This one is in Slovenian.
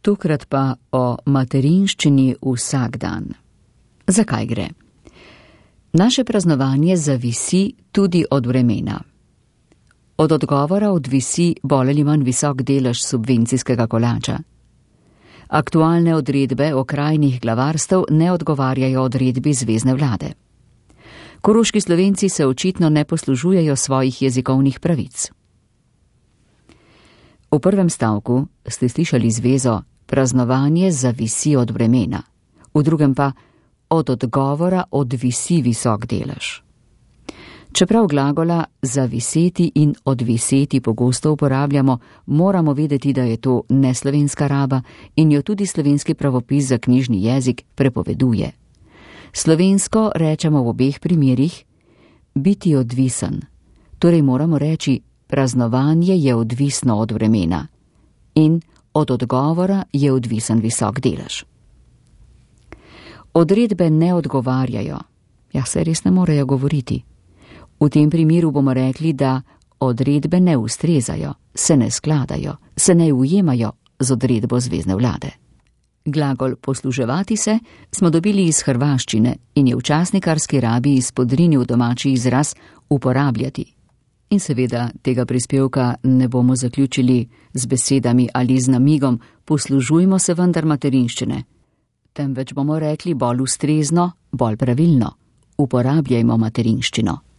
Tokrat pa o materinščini vsak dan. Zakaj gre? Naše praznovanje zavisi tudi od vremena. Od odgovora odvisi bolj ali manj visok delež subvencijskega kolača. Aktualne odredbe okrajnih glavarstev ne odgovarjajo odredbi zvezne vlade. Koroški Slovenci se očitno ne poslužujejo svojih jezikovnih pravic. V prvem stavku ste slišali zvezo praznovanje zavisi od vremena, v drugem pa od odgovora odvisi visok delež. Čeprav glagola zaviseti in odviseti pogosto uporabljamo, moramo vedeti, da je to neslovenska raba in jo tudi slovenski pravopis za knjižni jezik prepoveduje. Slovensko rečemo v obeh primerih biti odvisen, torej moramo reči praznovanje je odvisno od vremena in od odgovora je odvisen visok delež. Odredbe ne odgovarjajo, se res ne morejo govoriti. V tem primeru bomo rekli, da odredbe ne ustrezajo, se ne skladajo, se ne ujemajo z odredbo zvezne vlade. Glagol posluževati se smo dobili iz hrvaščine in je v časnikarski rabi izpodrinil domači izraz uporabljati. In seveda tega prispevka ne bomo zaključili z besedami ali z namigom poslužujmo se vendar materinščine, temveč bomo rekli bolj ustrezno, bolj pravilno, uporabljajmo materinščino.